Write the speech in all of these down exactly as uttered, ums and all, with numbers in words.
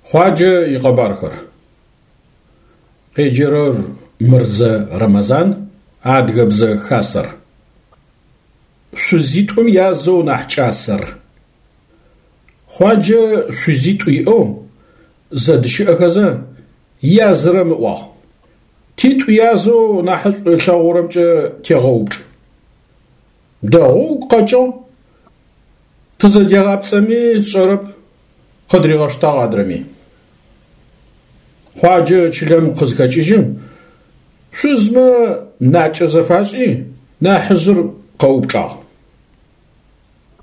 Хъуаджэ икъэбархэр. Къеджэрэр Мырзэ Рэмэзан, Адыгэбзэ Хасэр. Шъузитӏум язэу нахь кӏасэр. Хъуаджэ шъузитӏу иӏэу зэдыщыӏэхэзэ язырэм ыӏуагъ: Титӏу язэу нахьышӏу ылъэгъурэмкӏэ тегъэупчӏ. Дэгъоу угу къэкӏыгъ. Тызэдегъапцӏэми сшӏэрэп, къыдыригъэштагъ адрэми. Хъуаджэ чылэм къызхэкӏыжьым, шъузмэ накӏэ зэфашӏи, нахьыжъыр къэупчӏагъ: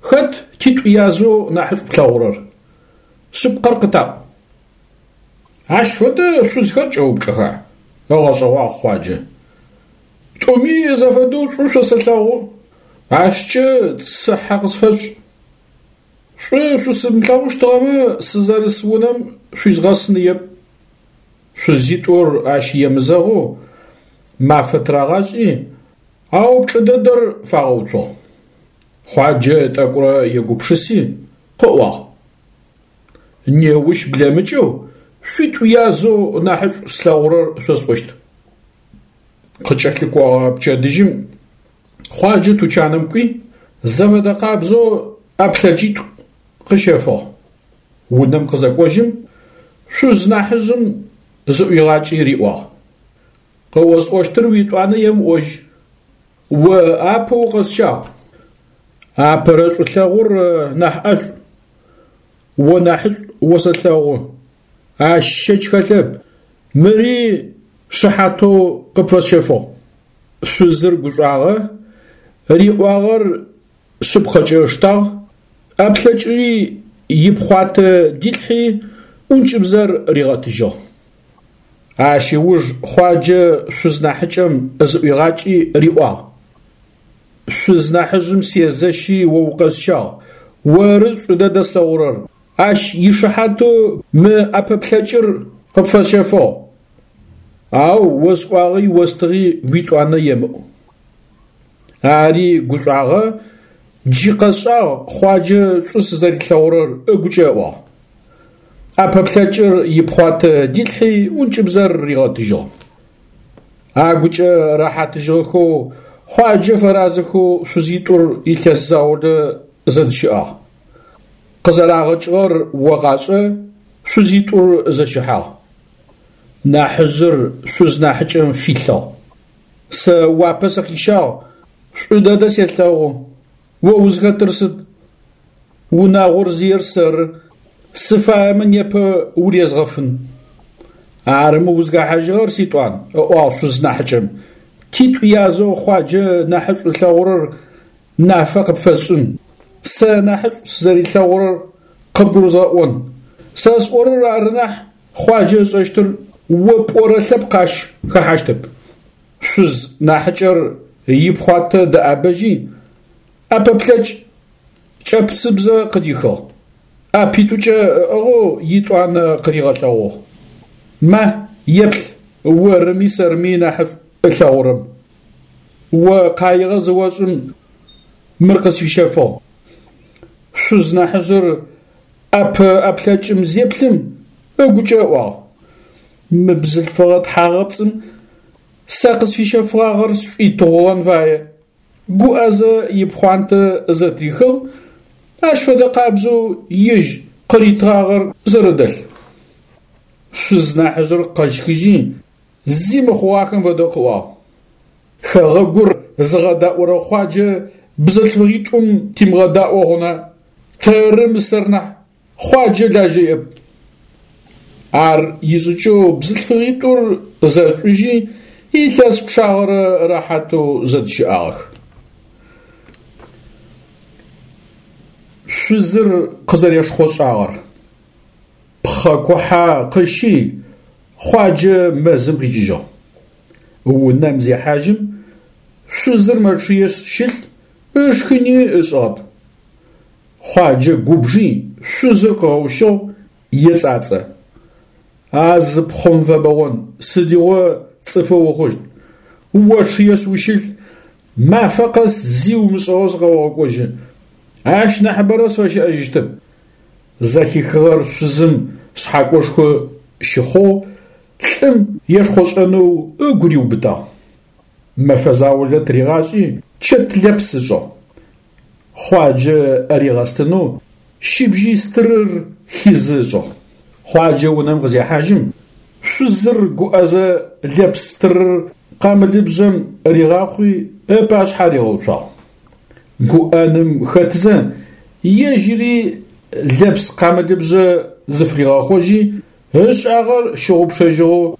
Хэт титӏу язэу нахьышӏу плъэгъурэр? Шъыпкъэр къытаӏу. Ащ фэдэ шъузхэр кӏэупчӏэха? Ыгъэшӏэгъуагъ Хъуаджэ. Тӏуми зэфэдэу шӏу шъосэлъэгъу, ащкӏэ цыхьэ къысфэшӏ. Шӏу шъусымылъэгъущтыгъэмэ, сызэрыс унэм шъуизгъэсыныеп. Шъузитӏур ащ емызэгъэу мафэ тырагъашӏи, а упчӏэ дэдэр фагъэуцугъ. Хъуаджэ тӏэкӏурэ егупшыси, къыӏуагъ: Неущ блэмыкӏэу шъуитӏу язэу нахьышӏу слъэгъурэр шъосӏощт. Къыкӏэлъыкӏогъэ пчэдыжьым Хъуаджэ тучаным кӏуи, зэфэдэ къабзэу ӏэплъэкӏитӏу къыщэфыгъ. Унэм къызэкӏожьым, шъуз нахьыжъым зыӏуигъакӏи риӏуагъ: Къыосӏощтыр уитӏуанэ емыӏожь. О апэ укъэсщагъ. Апэрэ шӏулъэгъур нахь ӏэшӏу. О нахьышӏу осэлъэгъу. Ащ щэч хэлъэп. Мыри шыхьатэу къыпфэсщэфыгъ. Шъузыр гушӏуагъэ, риӏуагъэр шъыпкъэкӏэ ыштагъ, ӏэплъэкӏыри ипхъуатэ дилъхьи ӏункӏыбзэр ригъэтыжьыгъ. Ащ ыуж Хъуаджэ шъуз нахьыкӏэм зыӏуигъакӏи риӏуагъ: Шъуз нахьыжъым сезэщи о укъэсщагъ, оры шӏу дэдэ слъэгъурэр, ащ ишыхьатэу мы ӏэпэплъэкӏыр къыпфэсщэфыгъ. Ау осӏуагъи остыгъи уитӏуанэ емыӏу. Ари гушӏуагъэ, джы къэсшӏагъ Хъуаджэ шӏу сызэрилъэгъурэр ыгукӏэ ыӏуагъ. ӏэпэплъэкӏыр ипхъуатэ дилъхьи ӏункӏыбзэр ригъэтыжьыгъ. Агукӏэ рэхьатыжьыгъэхэу Хъуаджэ фэразэхэу шъузитӏур илъэс заулэ зэдыщыӏагъ. Къызэрагъэкӏыгъэр огъашӏэ, шъузитӏур зэщыхьагъ. Нахьыжъыр шъуз нахьыкӏэм филъыгъ: Сэ уапэ сыкъищагъ, шӏу дэдэ селъэгъу, о узхэтыр сыд? Унагъор зиер сэры, сыфаемэ непэ урезгъэфын. Арымэ узхэхьажьыгъэр ситӏуан, ыӏуагъ шъуз нахьыкӏэм, титӏу язэу Хъуаджэ нахьышӏу ылъэгъурэр нафэ къыпфэсшӏын, сэ нахьышӏу сызэрилъэгъурэр къыбгурызгъэӏон. Сэ сӏорэр ары нахь Хъуаджэ ышӏэщтыр, о пӏорэ лъэпкъ ащ хэхьащтэп. Шъуз нахьыкӏэр ипхъуатэ дэӏабэжьи, ӏэпэплъэкӏ кӏэпцыбзэ къыдихыгъ. ӏэпитӏукӏэ ыӏыгъэу итӏуанэ къыригъэлъэгъугъ: Ма, еплъ орыми сэрыми нахьышӏу ылъэгъурэм. О къаигъэ зыошӏым мыр къысфищэфыгъ. Шъуз нахьыжъыр ӏэпэ ӏэплъэкӏым зеплъым ыгукӏэ ыӏуагъ: Мы бзылъфыгъэ тхьагъэпцӏым сэ къысфищэфыгъагъэр сшӏуитыгъугъэн фае. Гуӏэзэ ипхъуантэ зэтрихыгъ, ащ фэдэ къабзэу ежь къыритыгъагъэр зэрэдэлъ. Шъуз нахьыжъыр къэщхыжьи, зи мыхъугъахэм фэдэу къыӏуагъ: Хэгъэгур зыгъэдаӏорэ Хъуаджэ бзылъфыгъитӏум тимыгъэдаӏо хъуна, тэры мысэр нахь, Хъуаджэ лажьэ иӏэп. Ар ишӏыкӏэу бзылъфыгъитӏур зэшӏужьи, илъэс пчъагъэрэ рэхьатэу зэдыщыӏагъэх. Шъузыр къызэрешхъошӏагъэр. Пхъэ кухьэ къыщи, Хъуаджэ мэзым къикӏыжьыгъ. Унэм зехьажьым, шъузыр мэчъыешъ щылъ, ышхыни ышӏыгъэп. Хъуаджэ губжи, шъузыр къыгъэущыгъ, ецӏацӏэ: А зы пхъом фэбэгъон, сыдигъо цӏыфы ухъущт? Очъыешъ ущылъ, мафэ къэс зи умышӏэу сыкъэогъэкӏожьы. Ащ нахьыбэрэ сфэщыӏэжьыщтэп. Зэхихыгъэр шъузым шъхьакӏошхо щыхъугъ, лӏым ешхъошӏэнэу ыгу риубытагъ. Мэфэ заулэ тыригъашӏи чэт лэпс ышӏыгъ. Хъуаджэ ригъэстынэу щыбжьый стырыр хизы ышӏыгъ. Хъуаджэ унэм къызехьажьым, шъузыр гуӏэзэ лэпс стырыр къамылыбжъэм ригъахъуи ыпашъхьэ ригъэуцуагъ. Гуӏэным хэтзэ ежьыри лэпс къамылыбжъэ зыфыригъэхъожьи, ышӏагъэр щыгъупшэжьыгъэу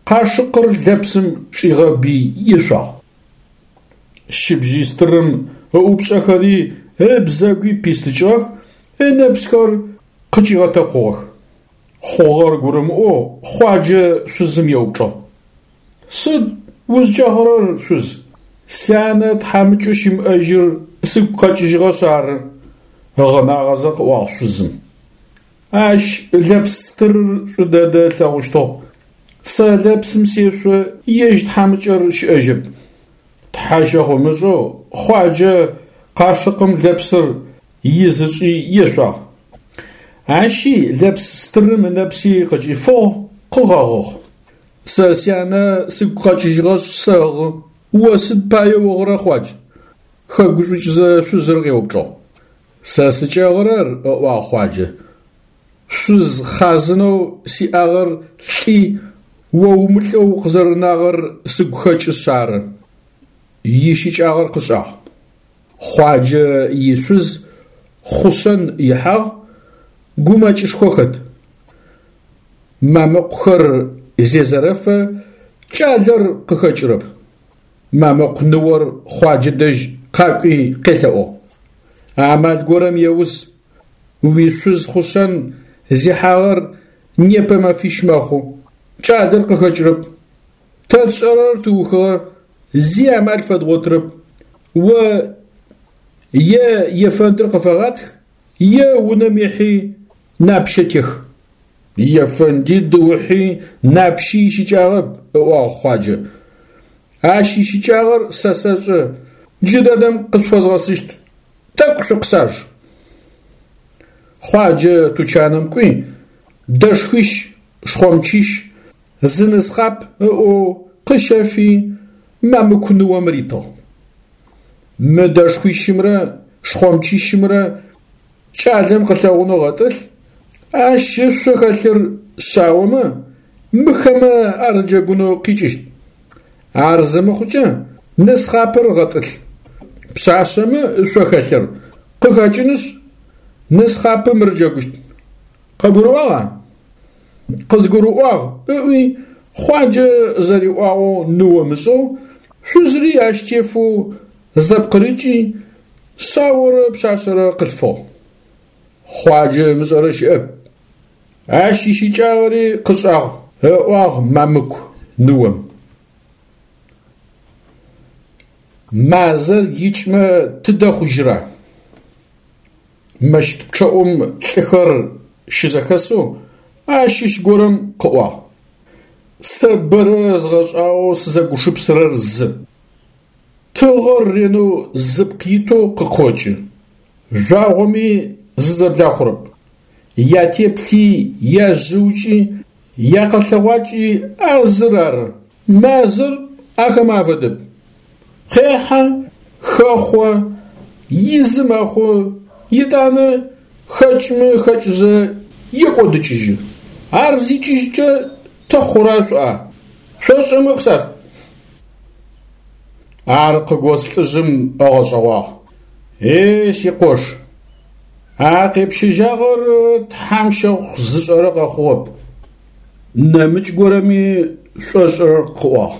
къашыкъыр лэпсым чӏигъэби ешъуагъ. Щыбжьый стырым ыӏупшӏэхэри ыбзэгуи пистыкӏыгъэх, ынэпсхэр къыкӏигъэтэкъугъэх. Хъугъэр гурымыӏоу Хъуаджэ шъузым еупчӏыгъ: Сыд узкӏэгъырэр, шъуз? Сянэ тхьамыкӏэу щымыӏэжьыр сыгу къэкӏыжьыгъэшъ ары, ыгъынагъэзэ къыӏуагъ шъузым. Ащ лэпс стырыр шӏу дэдэ ылъэгъущтыгъ. Сэ лэпсым сешъо, ежь тхьамыкӏэр щыӏэжьэп. Тхьэ щэхъу ымышӏэу Хъуаджэ къашыкъым лэпсыр из ышӏи ешъуагъ. Ащи лэпс стырым ынэпси къыкӏифыгъ, къыгъэгъыгъ. Сэ сянэ сыгу къэкӏыжьыгъэшъ сэгъы, о сыд пае угъырэ, Хъуадж? Хэгушӏукӏызэ шъузыр къеупчӏыгъ. Сэ сыкӏэгъырэр, ыӏуагъ Хъуаджэ, шъуз хъазынэу сиӏагъэр лӏи, о умылӏэу укъызэрэнагъэр сыгу хэкӏышъ ары. Ищыкӏагъэр къышӏагъ. Хъуаджэ ишъуз хъушъэн ихьагъ, гумэкӏышхо хэт. Мамыкъухэр зезэрэфэ кӏалэр къыхэкӏырэп. Мамыкъу ныор Хъуаджэ дэжь къакӏуи къелъэӏугъ: Амал горэм еус, уишъуз хъушъэн зихьагъэр непэ мэфищ мэхъу, кӏалэр къыхэкӏырэп. Тэ тшӏэрэр тыухыгъэ, зи амал фэдгъотырэп. О е ефэндыр къыфэгъатх, е унэм ихьи напщэ тех. Ефэнди дыухьи напщи ищыкӏагъэп, ыӏуагъ Хъуаджэ. Ащ ищыкӏагъэр сэ сэшӏэ, джыдэдэм къышъуфэзгъэсыщт. Тӏэкӏу шъукъысаж. Хъуаджэ тучаным кӏуи, дэшхуищ, шхъомчищ, зы нысхъап ыӏоу къыщэфи мамыку ныом ритыгъ. Мы дэшхуищымрэ шхъомчищымрэ кӏалэм къылъэгъунэу гъэтӏылъ, ащ ышъо хэлъыр шъаомэ, мыхэмэ арыджэгунэу къикӏыщт. Ар зымыхъукӏэ нысхъапыр гъэтӏылъ. Пшъашъэмэ ышъо хэлъыр къыхэкӏынышъ, нысхъапым рыджэгущт. Къыбгурыӏуагъа? Къызгурыӏуагъ, ыӏуи Хъуаджэ зэриӏуагъэу ныом ышӏыгъ, шъузри ащ тефэу зэпкъырыкӏи, шъаорэ пшъашъэрэ къылъфыгъ. Хъуаджэ ымышӏэрэ щыӏэп. Ащ ищыкӏагъэри къышӏагъ, ыӏуагъ мамыку ныом. Мазэр икӏмэ тыдэ хъужьыра? Мэщыт пчъэӏум лӏыхэр щызэхэсэу ащыщ горэм къыӏуагъ: Сэ бэрэ згъэшӏагъоу сызэгупшысэрэр зы. Тыгъэр ренэу зыпкъ итэу къыкъокӏы, жъуагъоми зызэблахъурэп. Ятеплъи, яжъыукӏи, якъэлъэгъуакӏи а зыр ары. Мазэр ахэмэ афэдэп. Къехьэ, хэхъо, изы мэхъу, етӏанэ хэкӏымэ хэкӏызэ екӏодыкӏыжьы. Ар зикӏыжькӏэ тэ хъура шъуӏуа? Шъошӏэмэ къысашъуӏу. Ар къыгос лӏыжъым ыгъэшӏэгъуагъ: Е сикъош, а къепщэжьагъэр Тхьэм щэхъу зышӏэрэ къэхъугъэп. Нэмыкӏ горэми шӏошӏырэр къыӏуагъ: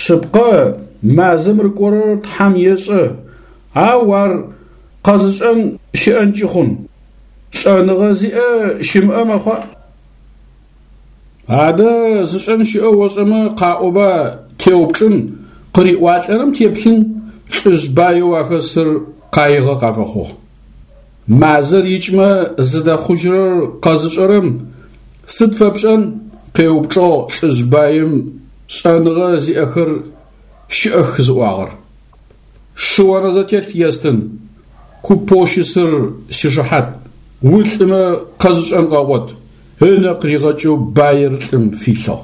Шъыпкъэ, мазэм рыкӏорэр Тхьэм ешӏэ, ау ар къэзышӏэн щыӏэнкӏи хъун. Шӏэныгъэ зиӏэ щымыӏэ мэхъуа? Адэ зышӏэн щыӏэу ошӏэмэ къаӏоба, теупчӏын, къыриӏуалӏэрэм теплъын, лӏыжъ баеу ахэсыр къаигъэ къафэхъугъ. Мазэр икӏмэ зыдэхъужьырэр къэзышӏэрэм сыд фэпшӏэн? Къеупчӏыгъ лӏыжъ баим шӏэныгъэ зиӏэхэр щыӏэх зыӏуагъэр. Шы онэзэтелъ естын, купэу щысыр сишыхьат, улӏымэ къэзышӏэн къэгъот. ынэ къыригъэкӏэу баир лӏым филъыгъ.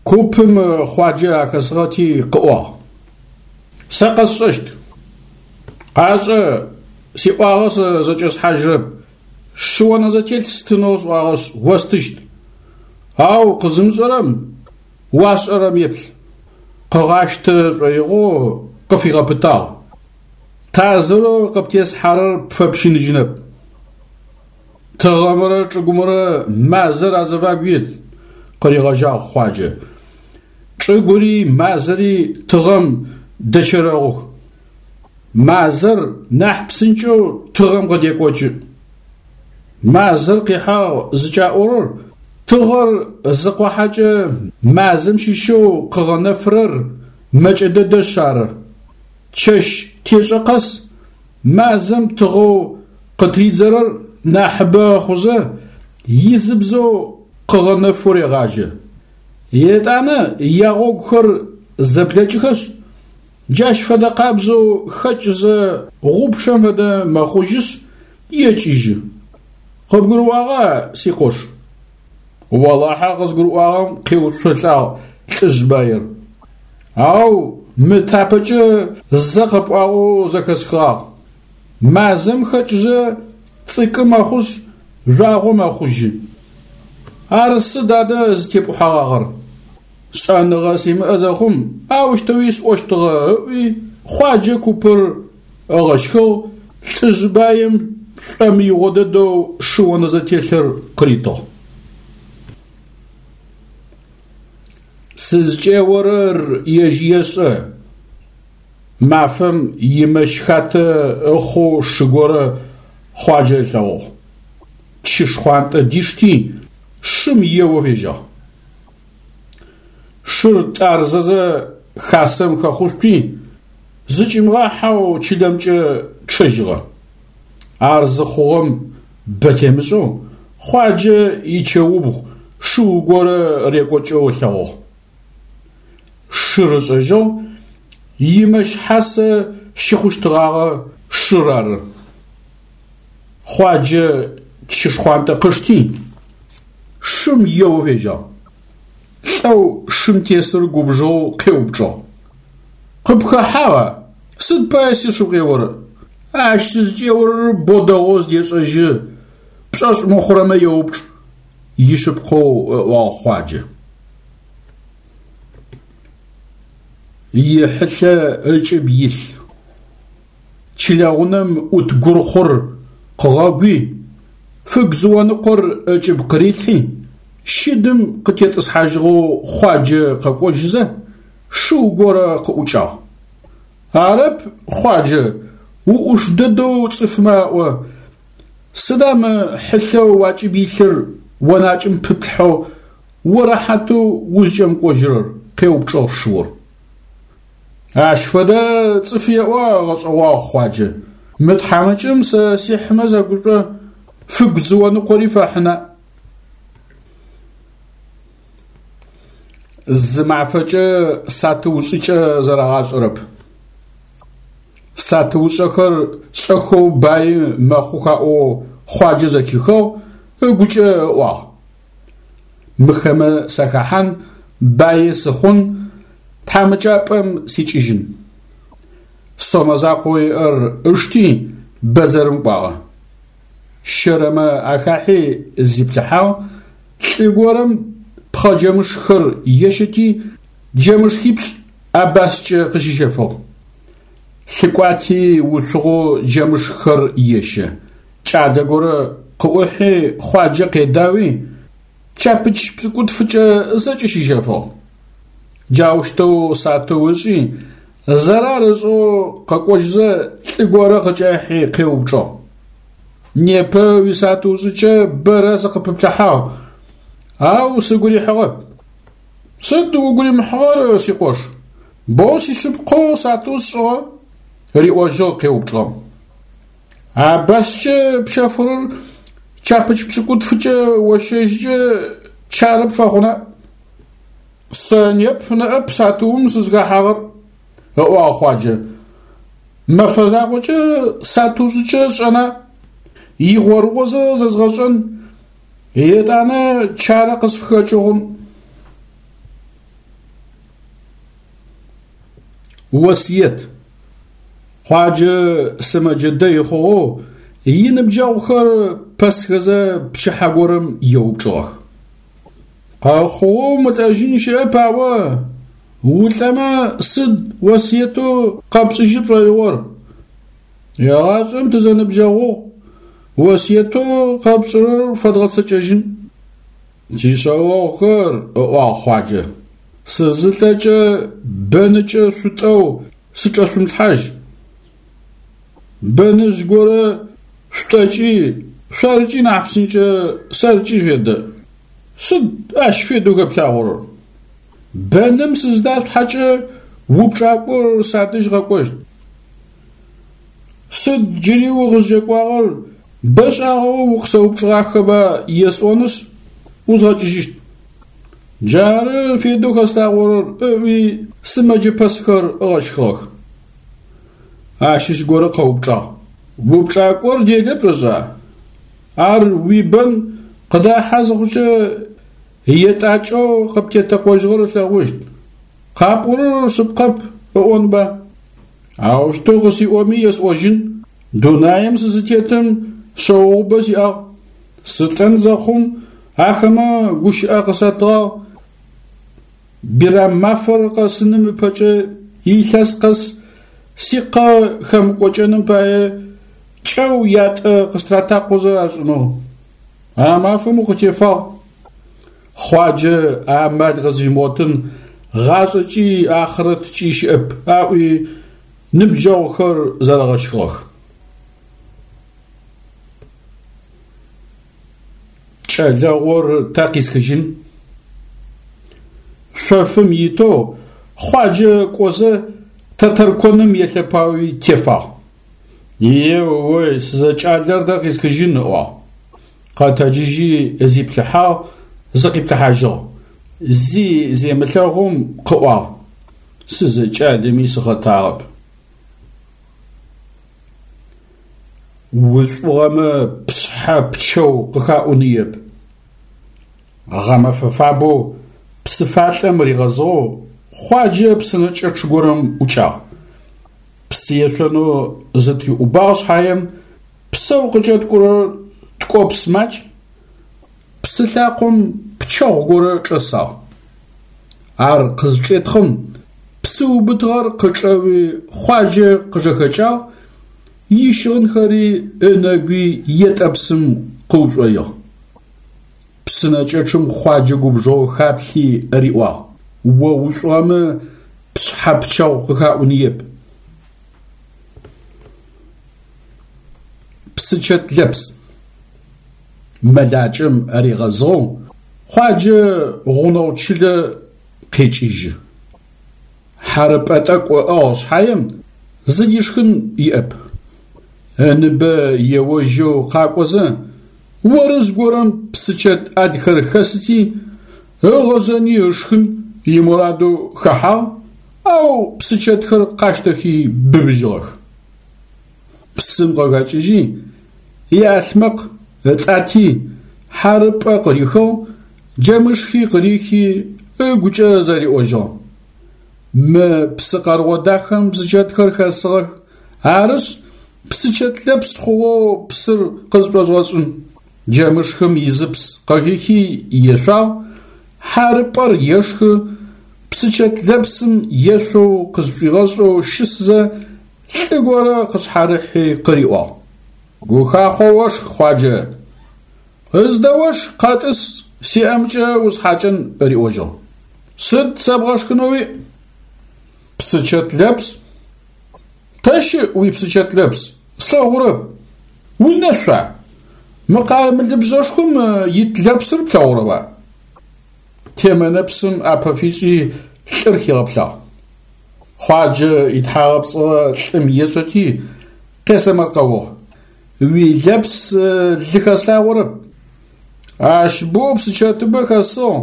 Купым Хъуаджэ ахэсыгъэти къыӏуагъ: Сэ къэсшӏэщт. Къашӏэ, сиӏуагъэ сэ зэкӏэсхьажьырэп, шы онэзэтелъ стынэу сӏуагъэшъ остыщт. Ау къызымышӏэрэм уасшӏэрэм еплъ. Къыгъащтэ шӏоигъоу къыфигъэпытагъ: Тазырэу къыптесхьэрэр пфэпщыныжьынэп. Тыгъэмрэ чӏыгумрэ мазэр азыфагу ит, къыригъэжьагъ Хъуаджэ. Чӏыгури мазэри тыгъэм дэчэрэгъух. Мазэр нахь псынкӏэу тыгъэм къыдекӏокӏы. Мазэр къихьагъ зыкӏаӏорэр тыгъэр зыкъохьэкӏэ мазэм щыщэу къыгъэнэфырэр мэкӏэ дэдэшъ ары. Чэщ тешӏэ къэс мазэм тыгъэу къытридзэрэр нахьыбэ хъузэ изыбзэу къыгъэнэфэу регъажьэ. Етӏанэ ягъогухэр зэблэкӏыхэшъ, джащ фэдэ къабзэу хэкӏызэ гъупчъэм фэдэ мэхъужьышъ екӏыжьы. Къыбгурыӏуагъа, сикъош? Олахьэ къызгурыӏуагъэм къеуцолӏагъ лӏыжъ баир. Ау мы тапэкӏэ зэ къэпӏуагъэу зэхэсхыгъагъ. Мазэм хэкӏызэ цӏыкӏы мэхъушъ жъуагъо мэхъужьы. Ар сыд адэ зытепӏухьэгъагъэр? Шӏэныгъэ симыӏэ зэхъум аущтэуи сӏощтыгъэ ыӏуи Хъуаджэ купыр ыгъэщхыгъ, лӏыжъ баим шӏомыигъо дэдэу шы онэзэтелъыр къыритыгъ. Сызкӏеорэр ежь ешӏэ. Мафэм имэщ хатэ ыхъоу шы горэ Хъуаджэ ылъэгъугъ. Чы шхъуантӏэ дишти, шым еоу фежьагъ. Шыр тӏарзэзэ хасэм хэхъушъуи, зыкӏимыгъахьэу чылэмкӏэ чъэжьыгъэ. Ар зыхъугъэм бэ темышӏэу Хъуаджэ ичэубгъу шыу горэ рекӏокӏэу ылъэгъугъ. Шыр ышӏэжьыгъ, имэщ хьасэ щыхъущтыгъагъэ шыр ары. Хъуаджэ чы шхъуантӏэ къышти, шым еоу фежьагъ. Лӏэу шым тесыр губжыгъэу къеупчӏыгъ: Къыпхэхьагъа? Сыд пае сиш укъеорэ? Ащ сызкӏеорэр бо дэгъоу зыдешӏэжьы, пшӏошъ мыхъурэмэ еупчӏ, ишъыпкъэу ыӏуагъ Хъуаджэ. Ихьылъэ ыкӏыб илъ. Чылэгъунэм ӏут гурхъур къыгъэгуи, фыгу зыоныкъор ыкӏыб къырилъхьи, щыдым къытетӏысхьажьыгъэу Хъуаджэ къэкӏожьызэ, шыу горэ къыӏукӏагъ. Арэп, Хъуаджэ, уӏуш дэдэу цӏыфмэ аӏо. Сыда мы хьылъэу уакӏыб илъыр онакӏым пыплъхьэу урэхьатэу узкӏэмыкӏожьырэр? Къеупчӏыгъ шыур. Ащ фэдэ цӏыф еӏо ыгъэшӏэгъуагъ Хъуаджэ. Мы тхьамыкӏэм сэ сихьымэ зэгушӏо, фыгу зыоныкъори фэхьына. Зы мафэкӏэ сатыушӏыкӏэ зэрагъашӏэрэп. Сатыушӏэхэр шӏэхэу баи мэхъух аӏоу Хъуаджэ зэхихыгъ, ыгукӏэ ыӏуагъ: Мыхэмэ сахэхьан, баи сыхъун, тхьамыкӏапӏэм сикӏыжьын. Сомэ закъоу иӏэр ышти бэдзэрым кӏуагъэ. Щэрэмэ ахахьи зиплъыхьагъ, лӏы горэм пхъэ джэмышххэр ещэти, джэмышхипшӏ абаскӏэ къыщищэфыгъ. Лъыкӏуати уцугъэу джэмышххэр ещэ. Кӏалэ горэ къыӏухьи Хъуаджэ къедауи, чапыч пшӏыкӏутфыкӏэ зэкӏэ щищэфыгъ. Джаущтэу сатыу ышӏи, зэрар ышӏэу къэкӏожьызэ лӏы горэ къыкӏахьи къеупчӏыгъ: Непэ уисатыушӏыкӏэ бэрэ сыкъыпыплъыхьагъ, ау сыгу рихьыгъэп. Сыд угу римыхьыгъэр, сикъош? Боу сишъыпкъэу сатыу сшӏыгъэ, риӏожьыгъ къеупчӏыгъэм. Абаскӏэ пщэфырэр чапыч пшӏыкӏутфыкӏэ ощэжькӏэ чары пфэхъуна? Сэ неп ныӏэп сатыум сызхэхьагъэр, ыӏуагъ Хъуаджэ. Мэфэ закъокӏэ сатыушӏыкӏэ сшӏэна? Игъорыгъозэ зэзгъэшӏэн. Етӏанэ чарэ къысфыхэкӏыгъун. Осыет. Хъуаджэ сымэджэ дэй хъугъэу иныбджэгъухэр пэсхэзэ пчыхьэ горэм еупчӏыгъэх. Къэхъугъэу мылӏэжьын щыӏэп, аӏо, улӏэмэ сыд осыетэу къэпшӏыжьы пшӏоигъор? Егъашӏэм тызэныбджэгъугъ, осыетэу къэпшӏырэр фэдгъэцэкӏэжьын. Сишъэогъухэр, ыӏуагъ Хъуаджэ, сызылӏэкӏэ бэныкӏэ шъутӏэу сычӏэшъумылъхьажь. Бэныжъ горэ шъутӏэкӏи, шъоркӏи нахь псынкӏэ, сэркӏи федэ. Сыд ащ федэу хэплъагъорэр? Бэным сызыдашъулъхьэкӏэ упчӏакӏор садэжь къэкӏощт. Сыд джыри укъызкӏэкӏуагъэр, бэшӏагъэу укъысэупчӏыгъахэба есӏонышъ, ӏузгъэкӏыжьыщт. Джары федэу хэслъагъорэр, ыӏуи сымэджэ пэсхэр ыгъэщхыгъэх. Ащыщ горэ къэупчӏагъ: Упчӏакӏор делэ пшӏошӏа? Ар уибэн къыдахьэ зыхъукӏэ етӏакӏэу къыптетэкъожьыгъэр ылъэгъущт. Къапӏорэр шъыпкъэп ыӏонба? Аущтэу къысиӏоми есӏожьын: Дунаим сызытетым шъэогъубэ сиӏагъ. Сылӏэн зэхъум ахэмэ гущыӏэ къысатыгъагъ: Бирам мафэр къэсыным ыпэкӏэ илъэс къэс сикъэ хэмыкӏокӏэным пае кӏэу ятӏэ къыстыратакъозэ ашӏынэу. А мафэм укъытефагъ. Хъуаджэ амал къызфимыгъотын гъашӏэкӏи ахърэткӏи щыӏэп, аӏуи ныбджэгъухэр зэрэгъэщхыгъэх. Кӏэлэгъур тэ къисхыжьын? Шъофым итэу Хъуаджэ кӏозэ тэтэрконым елъэпауи тефагъ. Еой, сызэкӏалэр тэ къисхыжьын, ыӏуагъ. Къэтэджыжьи зиплъыхьагъ, зыкъиплъыхьажьыгъ. Зи земылъэгъум къыӏуагъ: Сызэкӏалэми сыхъэтагъэп. Ушӏугъэмэ пшъхьэ пчэу къыхаӏуныеп. Гъэмэфэ фабэу псыфалӏэм ригъэзыгъэу Хъуаджэ псынэкӏэчъ горэм ӏукӏагъ. Псы ешъонэу зытриӏубагъ шъхьаем псэу къыкӏэткӏурэр ткӏопс макӏ, псы лъакъом пчэгъу горэ чӏэсагъ. Ар къызчӏетхъым псы ыубытыгъэр къычӏэуи Хъуаджэ къыжэхэкӏагъ, ищыгъынхэри ынэгуи етӏэпсым къыушӏоигъ. Псынэкӏэчъым Хъуаджэ губжыгъэу хаплъи риӏуагъ: О ушӏугъэмэ пшъхьэ пчэгъу къыхаӏуныеп. Псычэт лэпс. Мэлакӏэм ригъэзыгъэу Хъуаджэ гъунэгъу чылэ къекӏыжьы. Хьарыпӏэ тӏэкӏу ыӏыгъ шъхьаем зыдишхын иӏэп. Ыныбэ еожьэу къакӏозэ орыжъ горэм псычэт ӏэлхэр хэсыти, ыгъэжъэни ышхын имурадэу хэхьагъ, ау псычэтхэр къащтэхи быбыжьыгъэх. Псым къыхэкӏыжьи, иӏалъмэкъ ытӏати, хьарыпӏэ къырихыгъ, джэмышхи къырихи ыгукӏэ зэриӏожьыгъ: Мы псы къэргъо дахэм псычэтхэр хэсыгъэх, арышъ псычэт лэпс хъугъэу псыр къызшӏозгъэшӏын. Джэмышхым изыпс къыхихи ешъуагъ, хьарыпӏэр ешхы, псычэт лэпсым ешъоу къызшӏуигъэшӏэу щысызэ лӏы горэ къышъхьарыхьи къыриӏуагъ: Гухахъо ошх, Хъуаджэ! Ыздэошх, къэтӏыс, сиӏэмкӏэ усхьакӏэн, риӏожьыгъ. Сыд сэбгъэшхынэу уиӏ? Псычэт лэпс. Тэ щыӏ уипсычэт лэпс? Слъэгъурэп. Унэшъуа? Мы къамылыбжъэшхом ит лэпсыр плъэгъурэба? Темэнэпсым ӏапэ фишӏи лӏыр хигъэплъагъ. Хъуаджэ итхьагъэпцӏыгъэ лӏым ешӏэти къесэмэркъэугъ: Уилэпс лы хэслъагъорэп. Ащ боу псычэтыбэ хэсыгъ.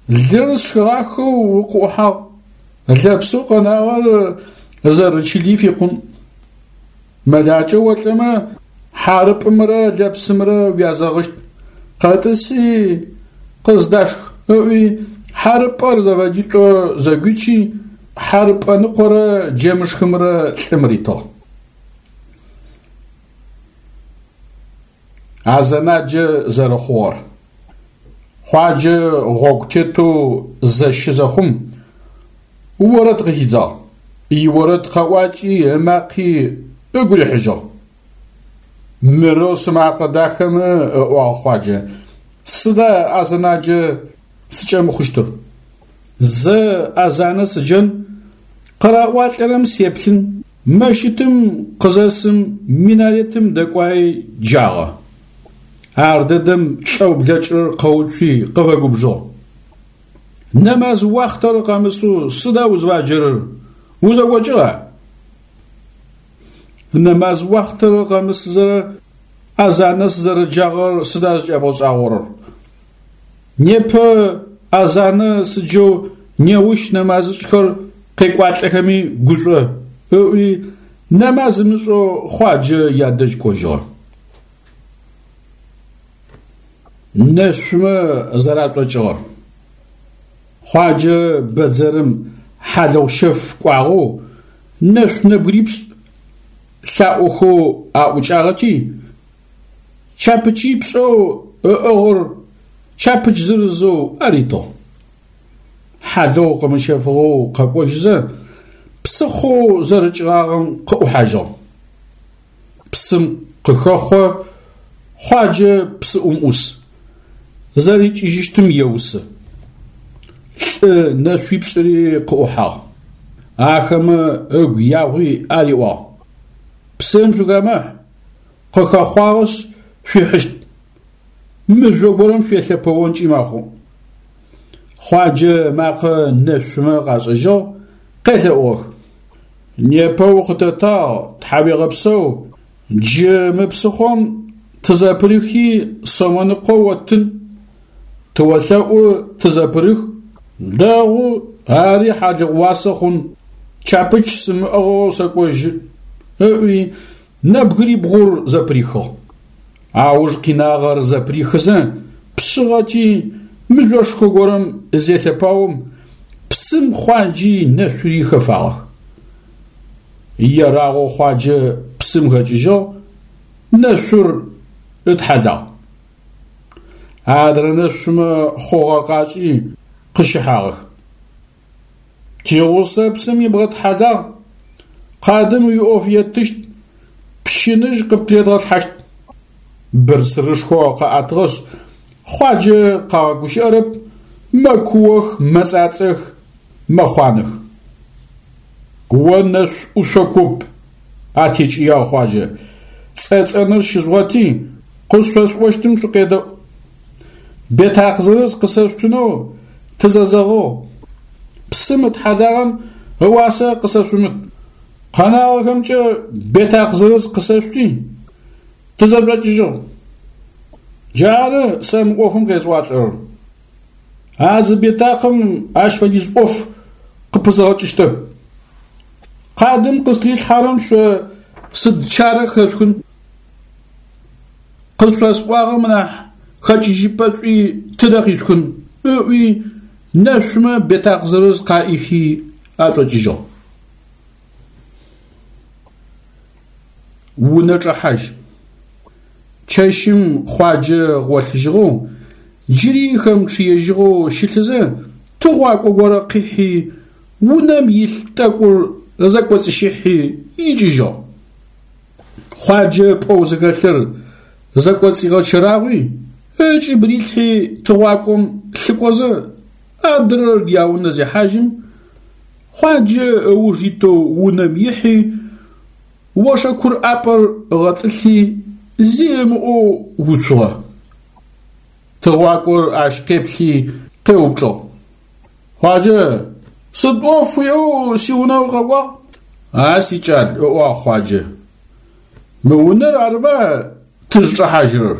Лыр сшхыгъахэу укъыӏухьагъ. Лэпсэу къэнагъэр зэрэчыли фикъун. Мэлакӏэ олӏэмэ хьарыпӏымрэ лэпсымрэ уязэгъыщт. Къэтӏыси къыздашх, ыӏуи хьарыпӏэр зэфэдитӏо зэгуичи, хьарыпӏэ ныкъорэ джэмышхымрэ лӏым ритыгъ. Азэнаджэ зэрэхъугъэр. Хъуаджэ гъогу тетэу зэщы зэхъум, орэд къыхидзагъ. Иорэд къэӏуакӏи ымакъи ыгу рихьыжьыгъ. Мырэу сымакъэ дахэмэ, ыӏуагъ Хъуаджэ, сыда азэнаджэ сыкӏэмыхъущтыр? Зэ азанэ сыджэн, къыраӏуалӏэрэм сеплъын, мэщытым къызэсым минаретым дэкӏуаи джагъэ. Ар дэдэм лӏэу блэкӏырэр къэуцуи къыфэгубжыгъ. Нэмаз уахътэр къэмысэу сыда узфаджэрэр, узэкӏокӏыгъа? Нэмаз уахътэр къэмысызэ азанэ сызэрэджагъэр сыда зыкӏэбгъэшӏагъорэр? Непэ азанэ сыджэу неущ нэмазышӏхэр къекӏуалӏэхэми гушӏо, ыӏуи нэмаз ымышӏэу Хъуаджэ ядэжь кӏожьыгъэ. Нэшъумэ зэрашӏокӏыгъэр. Хъуаджэ бэдзэрым хьалыгъущэф кӏуагъэу нэшъу нэбгырипшӏ лъаӏохэу аӏукӏагъэти, чапычипшӏэу ыӏыгъыр чапыч зырызэу аритыгъ. Хьалыгъу къымыщэфыгъэу къэкӏожьызэ, псыхъоу зэрыкӏыгъагъэм къыӏухьажьыгъ. Псым къыхэхъо, Хъуаджэ псыӏум ӏус. Зэрикӏыжьыщтым еусы. Лӏы нэшъуипшӏыри къыӏухьагъ. Ахэмэ ыгу ягъуи ариӏуагъ: Псым шъухэмыхь, къыхэхъуагъэшъ шъуихьыщт. Мыжъо горэм шъуелъэпэонкӏи мэхъу. Хъуаджэ ымакъэ нэшъумэ къашӏэжьыгъ, къелъэӏугъэх. Непэ укъытэтагъ, тхьауегъэпсэу, джы мы псыхъом тызэпырыхи сомэныкъо оттын. Тыолъэӏу тызэпырых. Дэгъу, ари хьалыгъу уасэ хъун, чапыч сымыӏыгъэу сэкӏожьы, ыӏуи нэбгырибгъур зэпырихыгъ. Ауж къинагъэр зэпырихызэ пшъыгъэти мыжъошхо горэм зелъэпаом, псым Хъуаджи нэшъури хэфагъэх. Ерагъэу Хъуаджэ псым хэкӏыжьыгъ, нэшъур ытхьалагъ. Адрэ нэшъумэ хъугъэр къашӏи къыщыхьагъэх. Тигъусэ псым ибгъэтхьалагъ, къадым уиӏоф еттыщт, пщыныжь къыптредгъэлъхьащт. Бырсырышхо къаӏэтыгъэшъ, Хъуаджэ къагъэгущыӏэрэп, мэкуох, мэцӏацӏэх, мэхъуанэх. О нэшъу ӏушъо куп, атекӏыягъ Хъуаджэ, цӏэцӏэныр щыжъугъэти, къышъосӏощтым шъукъедэӏу. Бетакъ зырыз къысэшъутынэу тызэзэгъыгъ. Псым ытхьалагъэм ыуасэ къысэшъумыт. Къэнагъэхэмкӏэ бетакъ зырыз къысэшъути, тызэшӏокӏыжьыгъ. Джары сэ мы ӏофым къесӏуалӏэрэр. А зы бетакъым ащ фэдиз ӏоф къыпызгъэкӏыщтэп. Къадым къыстрилъхьэрэм шъо сыд чарэ хэшъухын? Къышъосӏуагъэм нахь хэкӏыжьыпӏэ шӏуи тыдэ къишъухын, ыӏуи нэшъумэ бетакъ зырыз къаӏихи ашӏокӏыжьыгъ. Унэ чӏэхьажь. Чэщым Хъуаджэ гъолъыжьыгъэу, джыри хэмычъыежьыгъэу щылъызэ, тыгъуакӏо горэ къихьи, унэм илъ тӏэкӏур зэкӏоцӏыщыхьи икӏыжьыгъ. Хъуаджэ пӏоу зыхэлъыр зэкӏоцӏигъэчэрагъуи, ыкӏыб рилъхьи тыгъуакӏом лъыкӏозэ, адрэр яунэ зехьажьым, Хъуаджэ ыуж итэу унэм ихьи, ошэкур ӏапӏэр ыгъэтӏылъи, зи ымыӏоу уцугъэ. Тыгъуакӏор ащ къеплъи къеупчӏыгъ: Хъуаджэ, сыд ӏоф уиӏэу сиунэ укъэкӏуагъ? А сикӏал, ыӏуагъ Хъуаджэ, мы унэр арыба тызчӏэхьажьырэр?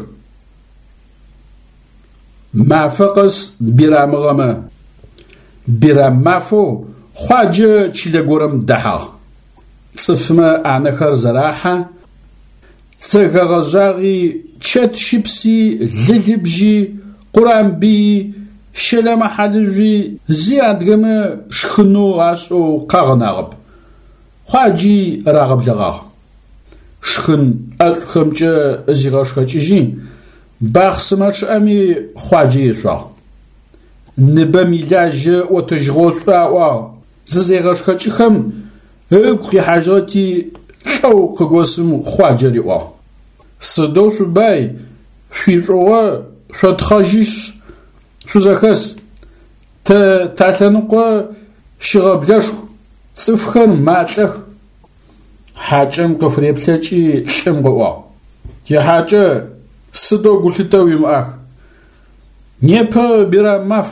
Мафэ къэс бирамыгъэмэ, бирам мафэу Хъуаджэ чылэ горэм дэхьагъ. Цӏыфмэ ӏанэхэр зэрахьэ, Цэгэ гъэжъагъи, чэт щыпси, лы-лыбжьи, къурамбыйи, щэлэмэ-хьалыжъуи зи адыгэмэ шхынэу ашӏэу къагъэнагъэп. Хъуаджи рагъэблэгъагъ. Шхын ӏэшӏухэмкӏэ зигъэшхэкӏыжьи, бахъсымэ чъыӏэми Хъуаджэ ешъуагъ. Ныбэм илажьэ ӏотэжьыгъошӏу аӏуагъ, зызегъэшхэкӏыхэм ыгу къихьажьыгъэти, лӏэу къыгосым Хъуаджэ риӏуагъ: «Сыдэу шъубай, шъуишӏугъо шъотхъэжьышъ шъузэхэс. Тэ талъэныкъо щыгъэблэшху, цӏыфхэр малӏэх». Хьакӏэм къыфыреплъэкӏи лӏым къыӏуагъ: «Тихьакӏэ, сыдэу гулъытэ уимыӏах. Непэ бирам маф.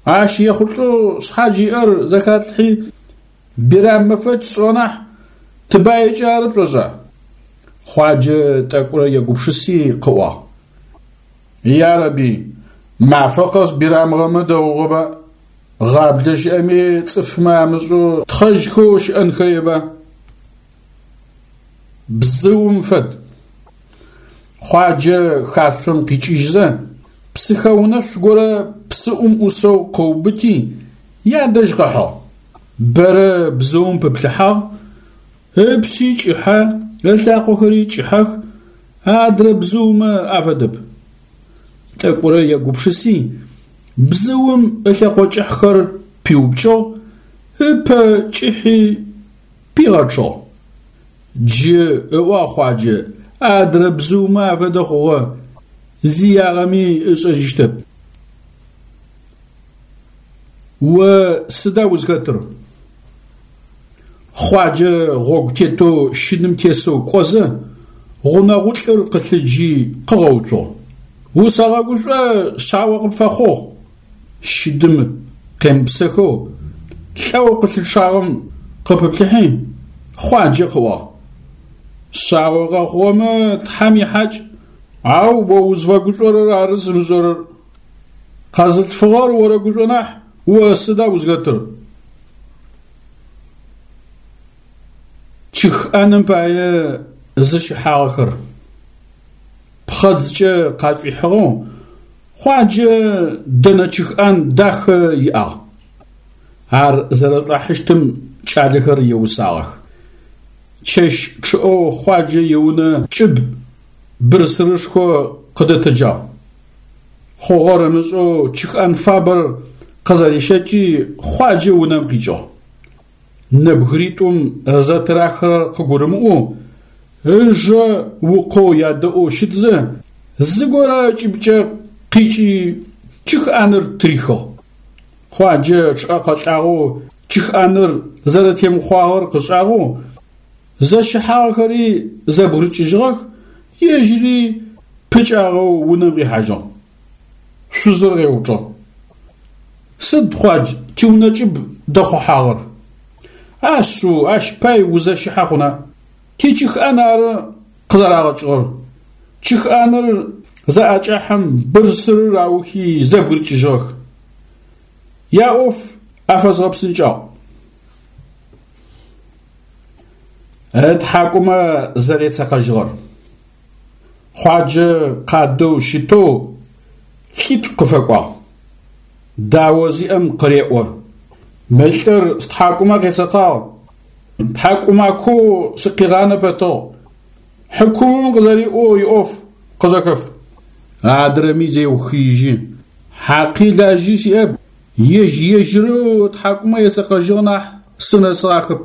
Ащ ехъулӏэу шъхьадж иӏэр зэхатлъхьи бирам мэфэкӏ тшӏыгъэ нахь, тыбаикӏэ ары пшӏошӏа?» Хъуаджэ тӏэкӏурэ егупшыси къыӏуагъ: «Ярэби, мафэ къэс бирамыгъэмэ дэгъугъэба? Гъаблэ щыӏэми цӏыфмэ амышӏэу тхъэжьхэу щыӏэнхэеба?» Бзыум фэд. Хъуаджэ хашъом къикӏыжьзэ, псыхэунэшъу горэ псыӏум ӏусэу къыубыти, ядэжь къыхьыгъ. Бэрэ бзыум пыплъыхьагъ, ыпшъи кӏыхьэ, ылъакъохэри кӏыхьэх, адрэ бзыумэ афэдэп. Тӏэкӏурэ егупшыси, бзыум ылъэкъо кӏыхьхэр пиупкӏыгъ, ыпэ кӏыхьи пигъэчъыгъ. Джы, ыӏуагъ Хъуаджэ, адрэ бзыумэ афэдэ хъугъэ, зи ягъэми ышӏэжьыщтэп. О сыда узхэтыр? Хъуаджэ гъогу тетэу щыдым тесэу кӏозэ, гъунэгъулӏыр къылъыджи къыгъэуцугъ: «Усэгъэгушӏо, шъао къыпфэхъугъ!» Щыдым къемыпсэхэу лӏэу къылъычъагъэм къыпыплъыхьи, Хъуаджэ къыӏуагъ: «Шъао къэхъугъэмэ Тхьэм ихьакӏ, ау о узфэгушӏорэр ары сымышӏэрэр. Къэзылъфыгъэр орэгушӏо нахь, о сыда узхэтыр?» Чыхӏэным пае зыщыхьагъэхэр. Пхъэдзкӏэ къашӏуихьыгъэу Хъуаджэ дэнэ чыхӏан дахэ иӏагъ. Ар зэрэшӏуахьыщтым кӏалэхэр еусагъэх. Чэщ чъыӏэу Хъуаджэ иунэ кӏыб бырсырышхо къыдэтэджагъ. Хъугъэр ымышӏэу чыхӏан фабэр къызэрищэкӏи Хъуаджэ унэм къикӏыгъ. Нэбгыритӏум зэтырахырэр къыгурымыӏоу, ыжэ укъоу ядэӏоу щытзэ, зыгорэ ыкӏыбкӏэ къикӏи чыхӏаныр тырихыгъ. Хъуаджэ чъыӏэ къэлӏагъэу чыхӏаныр зэрэтемыхъуагъэр къышӏагъэу, зэщыхьагъэхэри зэбгырыкӏыжьыгъэх, ежьыри пыкӏагъэу унэм къихьажьыгъ. Шъузыр къеупчӏыгъ: «Сыд, Хъуадж, тиунэ кӏыб дэхъухьагъэр?» «Ашъыу, ащ пай узэщыхьэ хъуна? Тичыхӏан ары къызэрагъэкӏыгъэр». Чыхӏаныр заӏэкӏахьэм бырсырыр аухи зэбгырыкӏыжьыгъэх. Яӏоф афэзгъэпсынкӏагъ. Ытхьакӏумэ зэрецэкъэжьыгъэр. Хъуаджэ къадэу щытэу лӏитӏу къыфэкӏуагъ. Дао зиӏэм къыреӏо: «Мы лӏыр стхьакӏумэ къецэкъагъ, тхьакӏумакоу сыкъигъанэ пэтыгъ. Хьыкумым къызэриӏоу иӏоф къызэхэф». Адрэми зеухыижьы: «Хьакъи лажьи сиӏэп, ежь-ежьырэу ытхьакӏумэ ецэкъэжьыгъ нахь сынэсыгъахэп».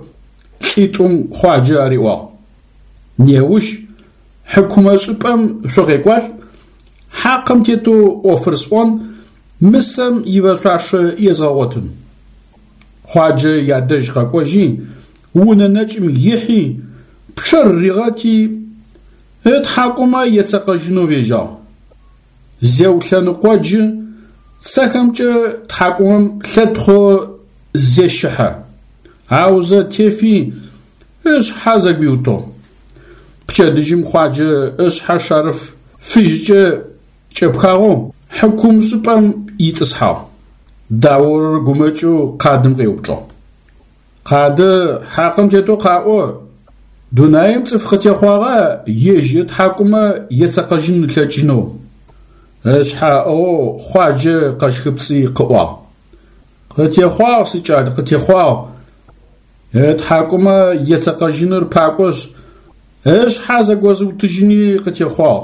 Лӏитӏум Хъуаджэ ариӏуагъ: «Неущ хьыкумэшӏыпӏэм шъукъекӏуалӏ, хьакъым тетэу ӏофыр сӏон, мысэм ифэшъуашэ езгъэгъотын». Хъуаджэ ядэжь къэкӏожьи, унэ нэкӏым ихьи, пчъэр ригъэти, ытхьакӏумэ ецэкъэжьынэу фежьагъ. Зеулъэныкъоджы, цэхэмкӏэ тхьакӏумэм лъэтхъоу зещыхьэ. Аузэ тефи, ышъхьэ зэгуиутыгъ. Пчэдыжьым Хъуаджэ ышъхьэ шарыф фыжькӏэ кӏэпхагъэу хьыкумшӏыпӏэм итӏысхьагъ. Даорэр гумэкӏэу къадым къеупчӏыгъ: «Къады, хьакъым тетэу къаӏо, Дунаим цӏыф къытехъуагъа ежь ытхьакӏумэ ецэкъэжьын ылъэкӏынэу? Ышъхьэ ыӏыгъэу Хъуаджэ къэщхыпцӏи къыӏуагъ: Къытехъуагъ, сикӏал, къытехъуагъ. Ытхьакӏумэ ецэкъэжьыныр пакӏошъ, ышъхьэ зэгозыутыжьыни къытехъуагъ.